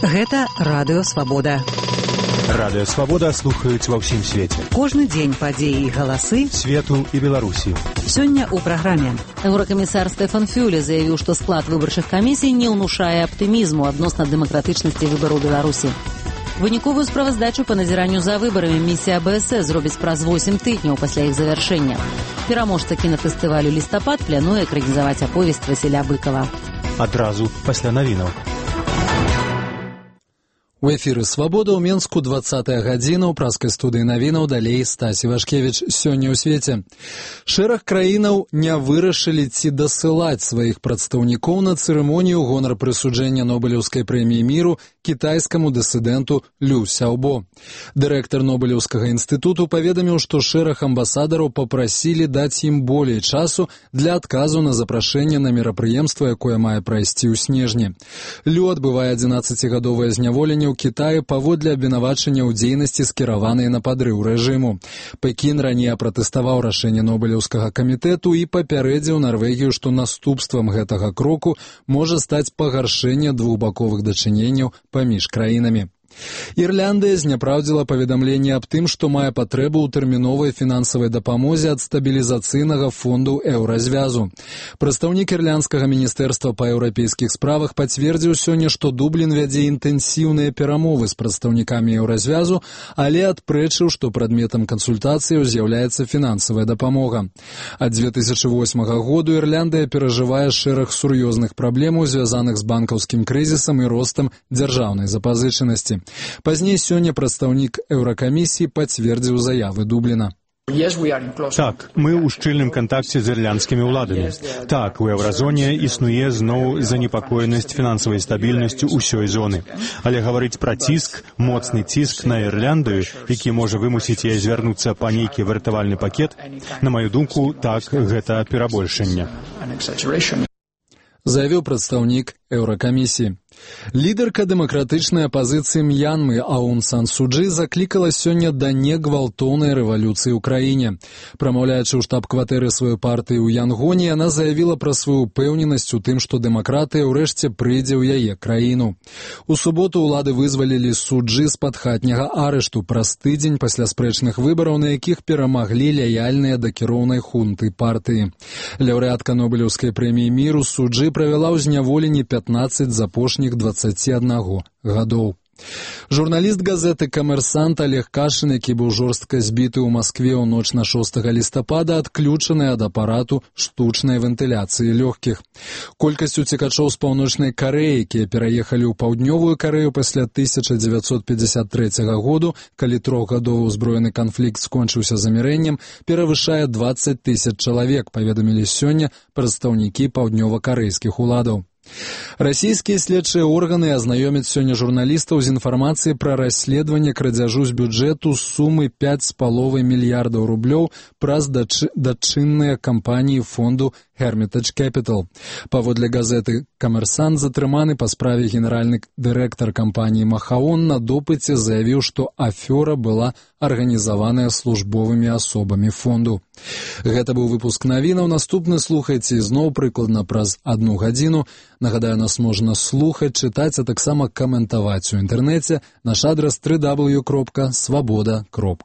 Гэта Радыё Свабода. Радыё Свабода слухаюць ва ўсім свеце. Кожны дзень падзеі і галасы свету і Беларусі. Сёння ў праграме. Еўракамісар Стэфан Фюле заявіў, што склад выбарчых камісій не ўнушае аптымізму адносна дэмакратычнасці выбараў Беларусі. Выніковую справаздачу па назіранню за выбарамі місія АБС зробіць праз 8 тыдняў пасля іх завяршэння. Пераможца кінафестывалю «Лістапад» плануе экранізаваць аповесць Васіля Быкова. Адразу пасля навінаў. У эфіры «Свабода» ў Менску 20-я гадзіна, ў праскай студыі навінаў, далей Стасі Вашкевіч. Сёння ў свеце. Шэраг краінаў не вырашылі ці дасылаць сваіх прадстаўнікоў на цырымонію гонар прысуджэння Нобелеўскай прэміі міру кітайскаму дысідэнту Лю Сяобо. Дырэктар Нобелеўскага інстытуту паведаміў, што шэраг амбасадараў папрасілі даць ім болей часу для адказу на запрашэнне на мерапрыемства, якое мае прайсці ў снежні. Лю адбывае 11-гадовае зняволенне ў Кітаі паводле абвінавачання ў дзейнасці, скіраванай на падрыў рэжыму. Пекін раней пратэставаў рашэнне Нобелеўскага камітэту і папярэдзіў Нарвегію, што наступствам гэтага кроку можа стаць пагаршэнне двухбаковых дачыненняў паміж краінамі. Ірландыя зняпраўдзіла паведамленне аб тым, што мае патрэбу ў тэрміновай фінансавай дапамозе ад стабілізацыйнага фонду еўразвязу. Прадстаўнік ірландскага міністэрства па еўрапейскіх справах пацвердзіў сёння, што Дублін вядзе інтэнсіўныя перамовы з прадстаўнікамі еўразвязу, але адпрэчыў, што прадметам кансультацыяў з'яўляецца фінансавая дапамога. Ад 2008 году Ірландыя перажывае шэраг сур'ёзных праблемаў, звязаных з банкаўскім крызісам і ростам дзяржаўнай запазычанасці. Пазней сёння прадстаўнік Еўракамісіі пацвердзіў заявы Дубліна. Так, мы ў шчыльным кантакце з ірландскімі ўладамі. Так, у еўразоне існуе зноў занепакоенасць фінансавай стабільнасцю ўсёй зоны. Але гаварыць пра ціск, моцны ціск на Ірландыю, які можа вымусіць яе звярнуцца па нейкі выратавальны пакет, на маю думку, так, гэта перабольшанне. Заявіў прадстаўнік Еўракамісіі. Лідарка дэмакратычнай апазіцыі М'янмы Аун Сан Су Чжы заклікала сёння да негвалтоўнай рэвалюцыі ў краіне. Прамаўляючы ў штаб-кватэры сваёй партыі ў Янгоне, яна заявіла пра сваю ўпэўненасць у тым, што дэмакратыя ўрэшце прыйдзе ў яе краіну. У суботу ўлады вызвалілі Су Чжы з-пад хатняга арышту праз тыдзень пасля спрэчных выбараў, на якіх перамаглі лаяльныя да кіроўнай хунты партыі. Лаўрэатка Нобелеўскай прэміі міру Су Чжы правяла ў зняволенні 15 з апошніх 21 гадоў. Журналіст газеты «Камерсант» Олег Кашин, які быў жорстка збіты ў Маскве ў ноч на 6 лістапада, адключаны ад апарату штучнай вентыляцыі лёгкіх. Колькасць уцекачоў з паўночнай Карэі, якія пераехалі ў паўднёвую Карэю пасля 1953 году, калі трохгадовы ўзброены канфлікт скончыўся замірэннем, перавышае 20 000 чалавек, паведамілі сёння прадстаўнікі паўднёва-карэйскіх уладаў. Расійскія следчыя органы азнаёмяць сёння журналістаў з інфармацыяй пра расследаванне крадзяжу з бюджэту сумы 5,5 мільярдаў рублёў праз дачынныя кампаніі фонду Hermitage Capital. Паводле газеты «Камерсант» затрыманы па справе генеральны дырэктар кампаніі Махаон на допыце заявіў, што афёра была арганізаваная службовымі асобамі фонду. Гэта быў выпуск навінаў. Наступны слухайце ізноў прыкладна праз 1 гадзіну. Нагадаю, нас можна слухаць, чытаць, а таксама каментаваць у інтэрнэце. Наш адрас www.swaboda.org.